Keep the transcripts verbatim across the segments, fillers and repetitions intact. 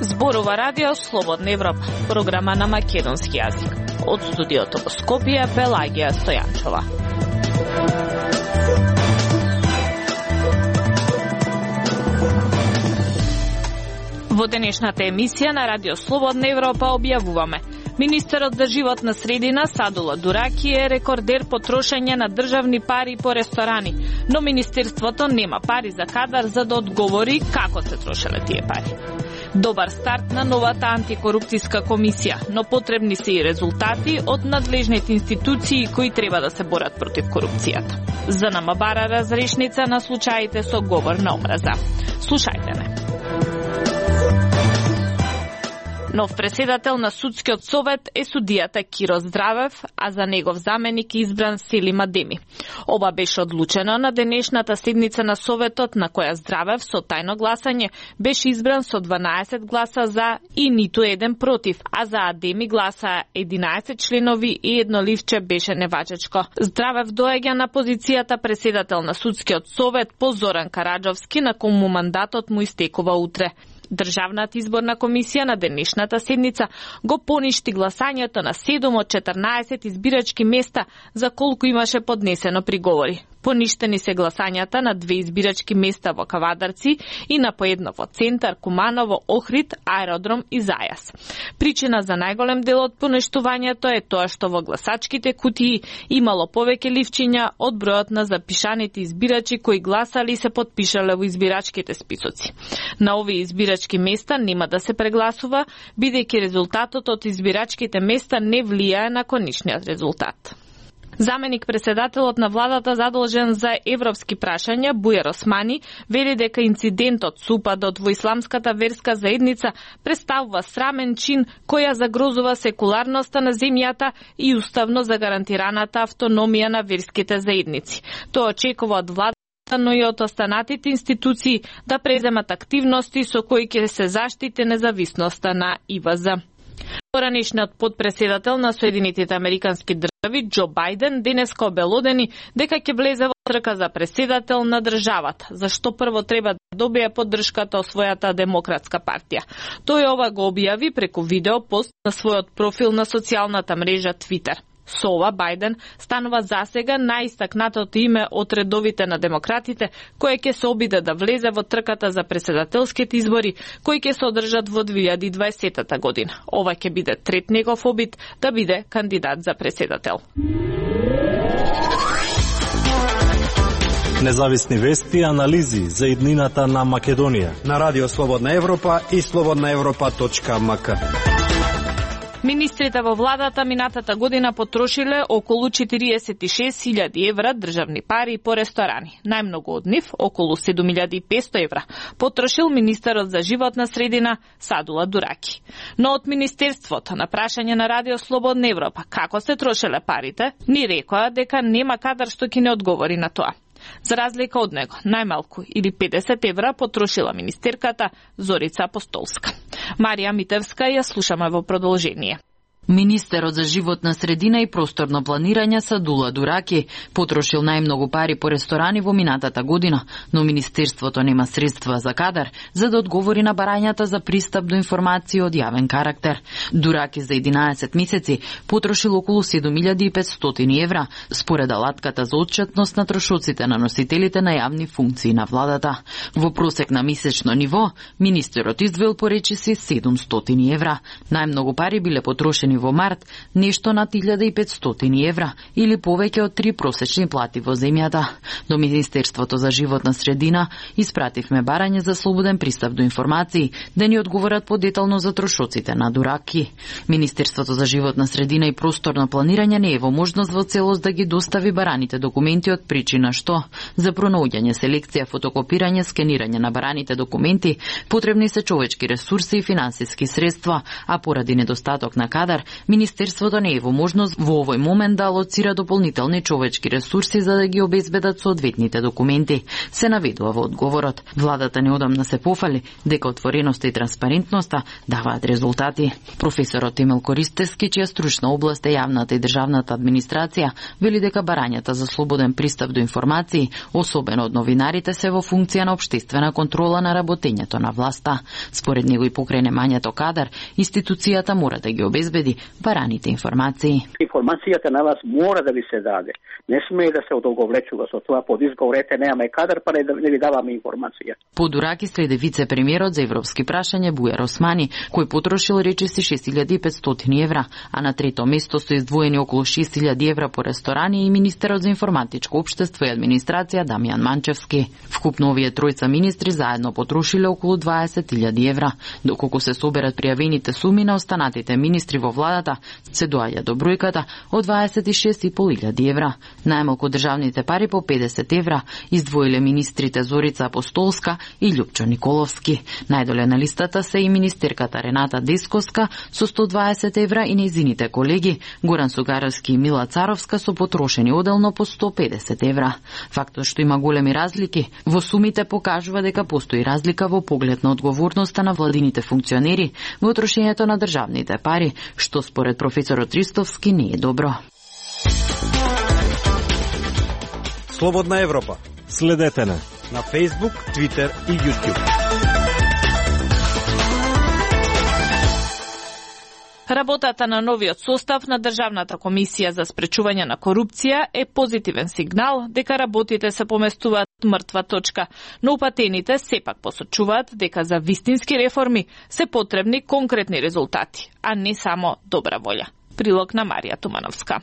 Зборува Радио Слободна Европа, програма на македонски јазик. Од студиото во Скопје, Пелагија Стојанчова. Во денешната емисија на Радио Слободна Европа објавуваме: Министерот за животна средина Садула Дураки е рекордер по трошење на државни пари по ресторани, но Министерството нема пари за кадар за да одговори како се трошеле тие пари. Добар старт на новата антикорупцијска комисија, но потребни се и резултати од надлежните институции кои треба да се борат против корупцијата. За НМ бара разрешница на случаите со говор на омраза. Слушајте ме. Нов преседател на Судскиот совет е судијата Киро Здравев, а за негов заменик избран Селим Адеми. Оба беше одлучено на денешната седница на Советот, на која Здравев со тајно гласање беше избран со дванаесет гласа за и ниту еден против, а за Адеми гласа единаесет членови и едно ливче беше неважечко. Здравев доаѓа на позицијата преседател на Судскиот совет по Зоран Караджовски, на кому мандатот му истекува утре. Државната изборна комисија на денешната седница го поништи гласањето на седум од четрнаесет избирачки места за колку имаше поднесено приговори. Поништени се гласањата на две избирачки места во Кавадарци и на по едно во Центар, Куманово, Охрид, Аеродром и Зајас. Причина за најголем дел од поништувањето е тоа што во гласачките кутии имало повеќе ливчиња од бројот на запишаните избирачи кои гласали и се потпишале во избирачките списоци. На овие избирачки места нема да се прегласува, бидејќи резултатот од избирачките места не влијае на конечниот резултат. Заменик председателот на владата задолжен за европски прашања Бујар Османи вели дека инцидентот со упадот во исламската верска заедница представува срамен чин која загрозува секуларноста на земјата и уставно загарантираната автономија на верските заедници. Тоа очекува од владата, но и од останатите институции да преземат активности со кои ќе се заштити независноста на И В З. Поранешниот подпредседател на Соединетите Американски држави Џо Бајден денеска обелодени дека ќе влезе во трка за преседател на државата, зашто прво треба да добие поддршката од својата демократска партија. Тој ова го објави преку видео пост на својот профил на социјалната мрежа Твитер. Со ова Бајден станува засега најистакнатото име од редовите на демократите, кој ќе се обиде да влезе во трката за преседателските избори, кои ќе се одржат во две илјади и дваесета година. Ова ќе биде трет негов обид да биде кандидат за преседател. Независни вести и анализи за иднината на Македонија на Радио Слободна Европа и слободна европа точка ем ка. Министрите во владата минатата година потрошиле околу четириесет и шест илјади евра државни пари по ресторани. Најмногу од нив, околу седум илјади и петсто евра, потрошил министерот за животна средина Садула Дураки. Но од Министерството на прашање на Радио Слободна Европа како се трошеле парите, ни рекоа дека нема кадар што ќе не одговори на тоа. За разлика од него, најмалку или педесет евра потрошила министерката Зорица Апостолска. Марија Митевска ја слушаме во продолжение. Министерот за животна средина и просторно планирање Садула Дураки потрошил најмногу пари по ресторани во минатата година, но Министерството нема средства за кадар за да одговори на барањата за пристап до информации од јавен карактер. Дураки за единаесет месеци потрошил околу седум илјади и петстотини евра, според алатката за отчетност на трошоците на носителите на јавни функции на владата. Во просек на месечно ниво, министерот издвоил по речиси седумстотини евра. Најмногу пари биле потрошени во март, нешто над илјада и петстотини евра или повеќе од три просечни плати во земјата. До Министерството за животна средина испративме барање за слободен пристап до информации, да ни одговорат подетално за трошоците на Дураки. Министерството за животна средина и просторно планирање не е во можност во целост да ги достави бараните документи од причина што за пронаоѓање, селекција, фотокопирање, скенирање на бараните документи потребни се човечки ресурси и финансиски средства, а поради недостаток на кадар Кадар, Министерството не е во можност во овој момент да алоцира дополнителни човечки ресурси за да ги обезбедат соодветните документи. Се наведува во одговорот. Владата неодамна се пофали дека отвореноста и транспарентноста даваат резултати. Професорот Емил Користевски, чија стручна област е јавната и државната администрација, вели дека барањата за слободен пристап до информации, особено од новинарите, се во функција на општествена контрола на работењето на власта. Според него и покрај немањето кадар, институцијата мора да ги обезбеди бараните информации. Информацијата на вас мора да ви се даде. Не смее да се одолговлечува со тоа под изговорете немаме кадар, па не, не ви даваме информација. Подураки следи вице-премиерот за европски прашања Бујар Османи, кој потрошил речиси шест илјади и петстотини евра, а на трето место се издвоени околу шест илјади евра по ресторани и министерот за информатичко општество и администрација Дамјан Манчевски. Вкупно овие тројца министри заедно потрошиле околу дваесет илјади евра. Доколку се соберат пријавените суми на останатите министри во владата, се доаѓа до бројката од дваесет и шест и пол илјади евра. Најмалку државните пари по педесет евра издвоиле министрите Зорица Апостолска и Љупчо Николовски. Најдоле на листата се и министерката Рената Десковска со сто дваесет евра и нејзините колеги Горан Сугаровски и Мила Царовска со потрошени оделно по сто педесет евра. Фактот што има големи разлики во сумите покажува дека постои разлика во поглед на одговорноста на владините функционери во трошењето на државните пари, што според професорот Ристовски не е добро. Слободна Европа. Следете не на Facebook, Twitter и YouTube. Работата на новиот состав на Државната комисија за спречување на корупција е позитивен сигнал дека работите се поместуваат мртва точка, но упатените сепак посочуваат дека за вистински реформи се потребни конкретни резултати, а не само добра волја. Прилог на Марија Тумановска.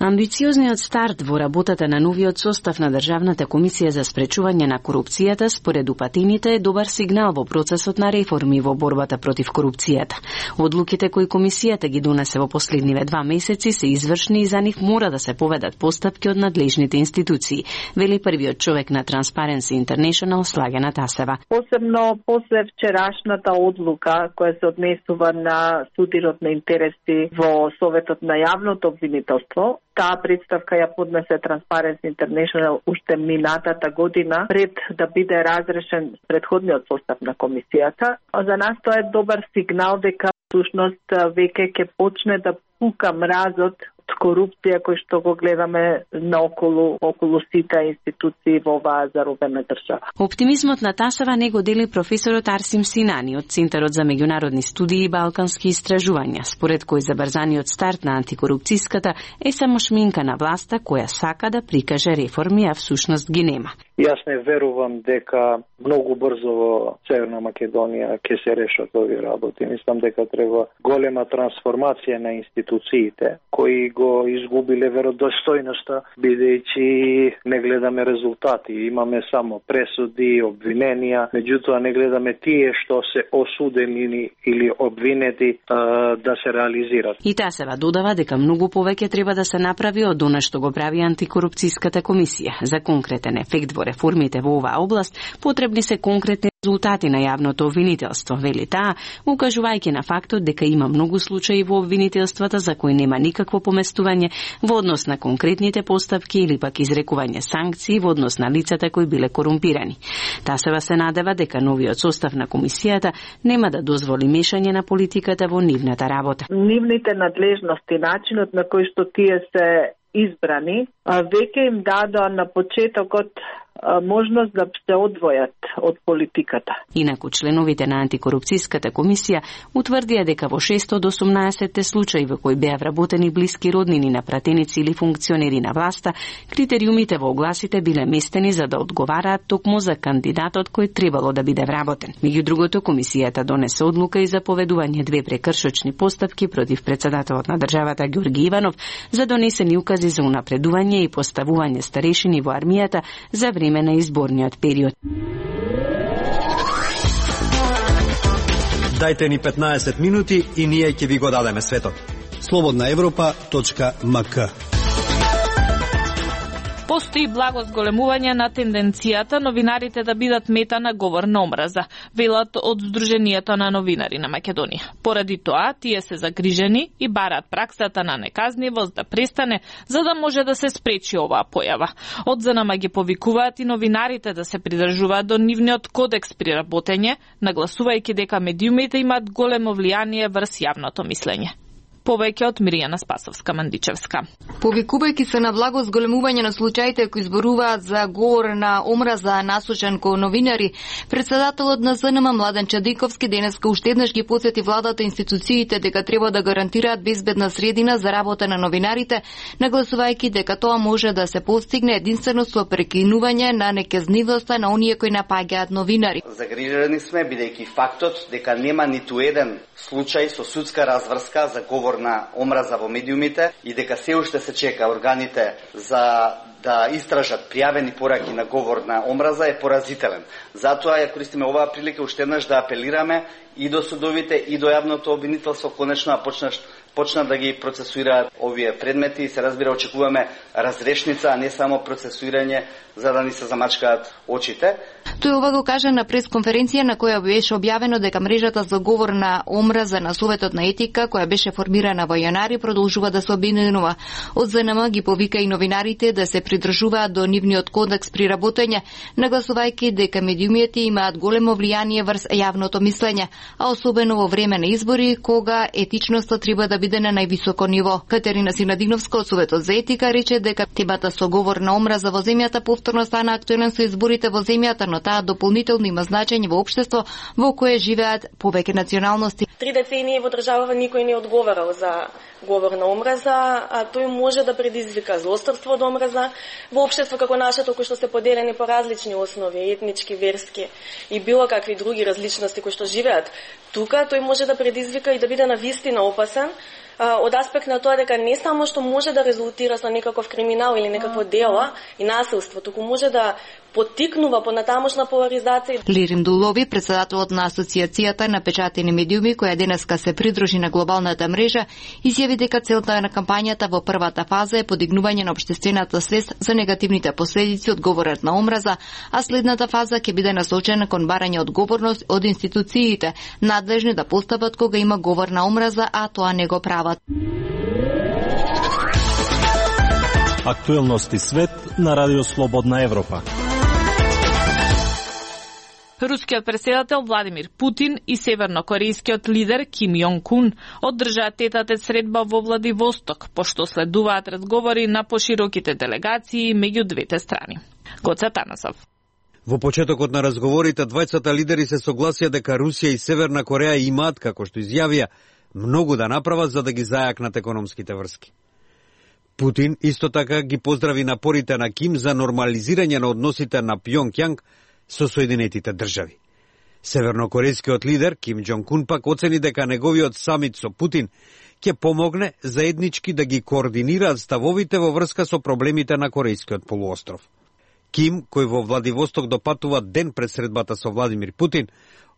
Амбициозниот старт во работата на новиот состав на Државната комисија за спречување на корупцијата според упатените е добар сигнал во процесот на реформи во борбата против корупцијата. Одлуките кои комисијата ги донесе во последниве два месеци се извршни и за нив мора да се поведат постапки од надлежните институции, вели првиот човек на Transparency International Слагена Тасева. Посебно после вчерашната одлука која се однесува на судирот на интереси во Советот на јавното обвинителство, таа представка ја поднесе Transparency International уште минатата година пред да биде разрешен предходниот состав на комисијата. За нас тоа е добар сигнал дека всушност веќе ќе почне да пука мразот од корупција кој што го гледаме наоколу околу сите институции во оваа заробена држава. Оптимизмот на Тасева не го дели професорот Арсим Синани од Центарот за меѓународни студии и балкански истражувања, според кој забрзаниот старт на антикорупцијската е само шминка на власта која сака да прикаже реформи, а всушност ги нема. Јас не верувам дека многу брзо во Северна Македонија ќе се решат овие работи. Мислам дека треба голема трансформација на институциите кои го изгубиле веродостојноста, бидејќи не гледаме резултати. Имаме само пресуди, обвиненија, меѓутоа не гледаме тие што се осудени или обвинети да се реализират. И Тасева додава дека многу повеќе треба да се направи од она што го прави антикорупцијската комисија. За конкретен ефект во реформите во оваа област потребни се конкретни резултати на јавното обвинителство, вели таа, укажувајќи на фактот дека има многу случаи во обвинителствата за кои нема никакво поместување во однос на конкретните постапки или пак изрекување санкции во однос на лицата кои биле корумпирани. Тасева се надева дека новиот состав на комисијата нема да дозволи мешање на политиката во нивната работа. Нивните надлежности, начинот на кој што тие се избрани, веќе им дадоа на почетокот можност да се одвојат од политиката. Инаку членовите на антикорупцијската комисија утврдија дека во шест од осумнаесет случаи во кои беа вработени блиски роднини на пратеници или функционери на власта, критериумите во огласите биле местени за да одговараат токму за кандидатот кој требало да биде вработен. Меѓу другото, комисијата донесе одлука и за поведување две прекршочни постапки против председателот на државата Ѓорги Иванов за донесени укази за унапредување и поставување старешини во армијата за време на изборниот период. Дајте ни петнаесет минути и ние ќе ви го дадеме светот. слободна европа точка ем ка Постои благо зголемување на тенденцијата новинарите да бидат мета на говор на омраза, велат од Сдруженијето на новинари на Македонија. Поради тоа, тие се загрижени и бараат праксата на неказнивост да престане, за да може да се спречи оваа појава. Од ЗНМ ги повикуваат и новинарите да се придржуваат до нивниот кодекс при работење, нагласувајќи дека медиумите имаат големо влијание врз јавното мислење. Повеќе од Миријана Спасовска-Мандичевска. Повикувајќи се на благо зголемување на случаите кои зборуваат за говор на омраза насочен кон новинари, председателот на ЗНМ Младен Чадиковски денеска уште еднаш ги потсети владата и институциите дека треба да гарантираат безбедна средина за работа на новинарите, нагласувајќи дека тоа може да се постигне единствено со прекинување на неказнивоста на оние кои напаѓаат новинари. Загрижени сме бидејќи фактот дека нема ниту еден случај со судска разврска за говор на омраза во медиумите и дека се уште се чека органите за да истражат пријавени пораки на говор на омраза е поразителен. Затоа ја користиме оваа прилика уште еднаш да апелираме и до судовите и до јавното обвинителство конечно да почнат почна да ги процесуираат овие предмети и се разбира очекуваме разрешница, а не само процесуирање за да ни се замачкаат очите. Тој ова го кажа на пресконференција на која беше објавено дека мрежата за говор на омраза на Советот на етика, која беше формирана во јанари, продолжува да се обвинува. Од ЗНМ ги повика и новинарите да се придржуваат до нивниот кодекс при работење, нагласувајќи дека медиумите имаат големо влијание врз јавното мислење, а особено во време на избори, кога етичноста треба да биде на највисоко ниво. Катерина Синадиновска од Советот за етика рече дека темата со говор на омраза во земјата повторно стана актуелен со изборите во земјата, но таа дополнително има значење во општество во кое живеат повеќе националности. Три децении во државава никој не одговарал за говор на омраза, а тој може да предизвика злосторство од омраза во општество како нашето, кои што се поделени по различни основи, етнички, верски и било какви други различности кои што живеат. Тука тој може да предизвика и да биде навистина опасен, од аспект на тоа дека не само што може да резултира со некаков криминал или некакво дело и насилство, туку може да поттикнува понатамошна поларизација. Лирим Дулови, председателот на Асоциацијата на печатени медиуми, која денеска се придружи на глобалната мрежа, изјави дека целта на кампањата во првата фаза е подигнување на општествената свест за негативните последици од говорот на омраза, а следната фаза ќе биде насочена кон барање одговорност од институциите, надлежни да постапат кога има говор на омраза, а тоа не го прават. Актуелности свет на Радио Слободна Европа. Рускиот председател Владимир Путин и севернокорејскиот лидер Ким Јонг Ун одржаат тетатет средба во Владивосток, пошто следуваат разговори на пошироките делегации меѓу двете страни. Гоце Танасов. Во почетокот на разговорите, двајцата лидери се согласија дека Русија и Северна Кореја имаат, како што изјавија, многу да направат за да ги зајакнат економските врски. Путин исто така ги поздрави напорите на Ким за нормализирање на односите на Пјонкјанг со Соединетите држави. Севернокорејскиот лидер Ким Џонг Ун пак оцени дека неговиот самит со Путин ќе помогне заеднички да ги координираат ставовите во врска со проблемите на Корејскиот полуостров. Ким, кој во Владивосток допатува ден пред средбата со Владимир Путин,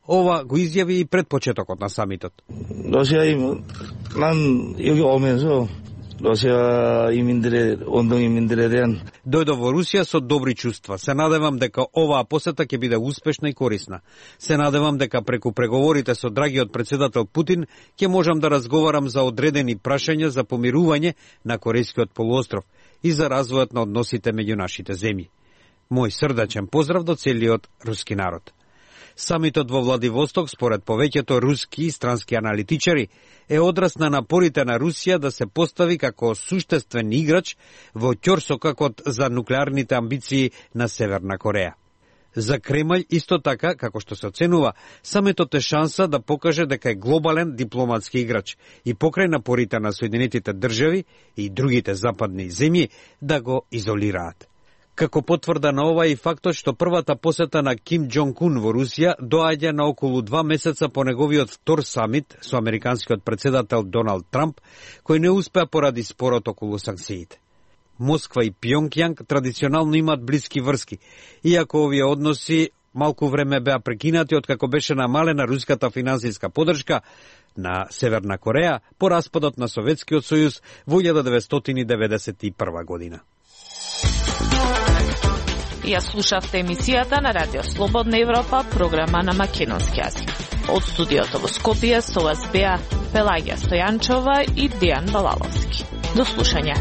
ова го изјави и пред почетокот на самитот. 러시아 난 여기 오면서 러시아 이민들의 원동 이민들에 대한 Дојдов во Русија со добри чувства. Се надевам дека оваа посета ќе биде успешна и корисна. Се надевам дека преку преговорите со драгиот председател Путин ќе можам да разговарам за одредени прашања за помирување на Корејскиот полуостров и за развојот на односите меѓу нашите земји. Мој срдачен поздрав до целиот руски народ. Самитот во Владивосток, според повеќето руски и странски аналитичари, е одраз на напорите на Русија да се постави како суштествен играч во ќорсокакот за нуклеарните амбиции на Северна Кореја. За Кремљ исто така, како што се оценува, самитот е шанса да покаже дека е глобален дипломатски играч и покрај напорите на Соединетите држави и другите западни земји да го изолираат. Како потврда на ова и фактот што првата посета на Ким Џонг Ун во Русија доаѓа на околу два месеца по неговиот втор самит со американскиот председател Доналд Трамп, кој не успеа поради спорот околу санкциите. Москва и Пјонкјанг традиционално имаат блиски врски, иако овие односи малку време беа прекинати откако беше намалена руската финансиска поддршка на Северна Кореја по распадот на Советскиот сојуз во илјада деветстотини деветдесет и прва година. Ја слушавте емисијата на Радио Слободна Европа, програма на македонски јазик. Од студиото во Скопје со вас беа Пелагија Стојанчова и Дејан Балаловски. До слушање.